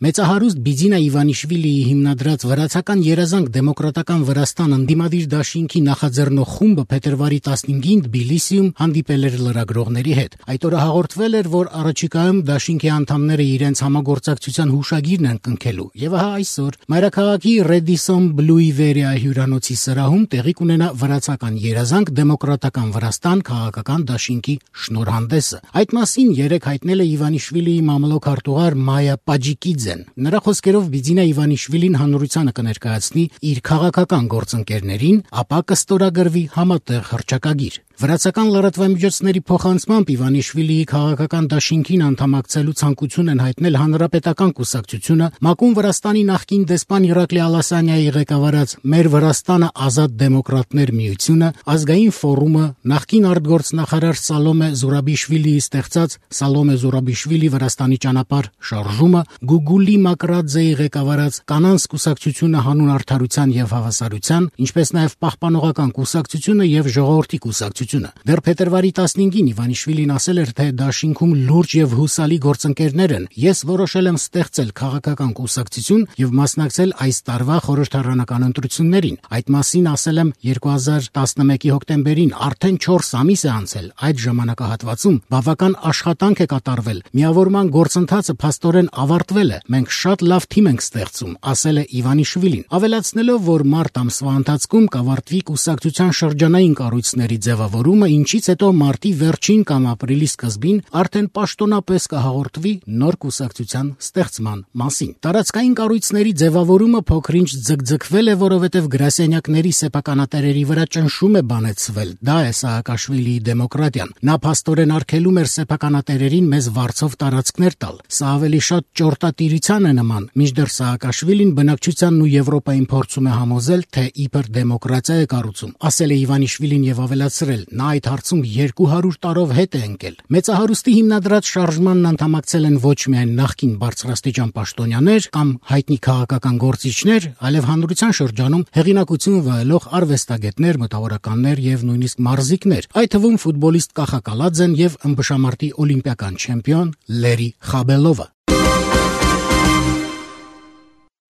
Մեծահարուստ Բիձինա Իվանիշվիլիի հիմնադրած վրացական երազանք դեմոկրատական Վրաստան ընդդիմադիր դաշինքի նախաձեռնող խումբը փետրվարի 15-ին Թբիլիսիում հանդիպել էր լրագրողների հետ։ Այդ օրը հաղորդվել էր, որ առաջիկայում դաշինքի անդամները իրենց համագործակցության հուշագիրն են կնքելու։ Եվ ահա այսօր մայրաքաղաքի Ռեդիսոն Բլուիվերիա հյուրանոցի սրահում տեղի կունենա վրացական երազանք դեմոկրատական Վրաստան քաղաքական դաշինքի շնորհանդեսը։ Այդ մասին երեկ հայտնել է Իվանիշվիլիի մամլոք արտուղար Մայա Պաջիկիձեն։ Նրա խոսքերով Բիձինա Իվանիշվիլին հանրությանը կներկայացնի իր քաղաքական գործընկերներին, ապա կստորագրվի համատեղ հռչակագիր։ Վրացական լրատվամիջոցների փոխանցմամբ Իվանիշվիլիի քաղաքական դաշինքին անդամակցելու ցանկություն են հայտնել Հանրապետական կուսակցությունը, Մակուն Վրաստանի նախկին դեսպան Իրակլի Ալասանյայի ղեկավարած Մեր Վրաստանը ազատ դեմոկրատներ միությունը, Ազգային ֆորումը, նախկին արտգործնախարար Սալոմե Զուրաբիշվիլիի ստեղծած Սալոմե Զուրաբիշվիլի Վրաստանի ճանապարհ շարժումը, Գուգուլի Մակրադզեի ղեկավարած Կանանց կուսակցությունը հանուն արդարության եւ հավասարության, ինչպես նաեւ Պահպանողական կուսակցությունը եւ Ժողովրդի կուսակցությունը։ Դեռ փետրվարի 15-ին Իվանիշվիլին ասել էր, թե դաշինքում լուրջ եւ հուսալի գործընկերներ են։ Ես որոշել եմ ստեղծել քաղաքական կուսակցություն եւ մասնակցել այս տարվա խորհրդարանական ընտրություններին։ Այդ մասին ասել եմ 2011-ի հոկտեմբերին, արդեն 4 ամիս է անցել։ Այդ ժամանակահատվածում բավական աշխատանք է կատարվել։ Միավորման գործընթացը փաստորեն ավարտվել է։ Մենք շատ լավ թիմ ենք ստեղծում, ասել է Իվանիշվիլին, ավելացնելով, որ մարտ ամսվա ընթացքում կավարտվի կուսակցության շրջանային կառույցների ձևավորումը, ինչից հետո մարտի վերջին կամ ապրիլի սկզբին արդեն պաշտոնապես կհաղորդվի նոր կուսակցության ստեղծման մասին։ Տարածքային կառույցների ձևավորումը փոքրինչ ձգձգվել է, որովհետև գրասենյակների սեփականատերերի վրա ճնշում է բանեցվել։ Դա է Սաակաշվիլիի դեմոկրատիան։ Նա փաստորեն արգելում էր սեփականատերերին մեզ վարձով տարածքներ տալ։ Սա ավելի շատ ճորտատիրության է նման, մինչդեռ Սաակաշվիլին բնակչությանն ու Եվրոպային փորձում է համոզել, թե իբր դեմոկրատիա է կառուցում, ասել է Իվանիշվիլին եւ ավելացրել. նա այդ հարցում 200 տարով հետ է ընկել։ Մեծահարուստի հիմնադրած շարժմանն անդամակցել են ոչ միայն նախկին բարձրաստիճան պաշտոնյաներ կամ հայտնի քաղաքական գործիչներ, այլև հանրության շրջանում հեղինակություն վայելող արվեստագետներ, մտավորականներ եւ նույնիսկ մարզիկներ, այդ թվում ֆուտբոլիստ Կախա Կալաձեն եւ ըմբշամարտի օլիմպիական չեմպիոն Լերի Խաբելովը։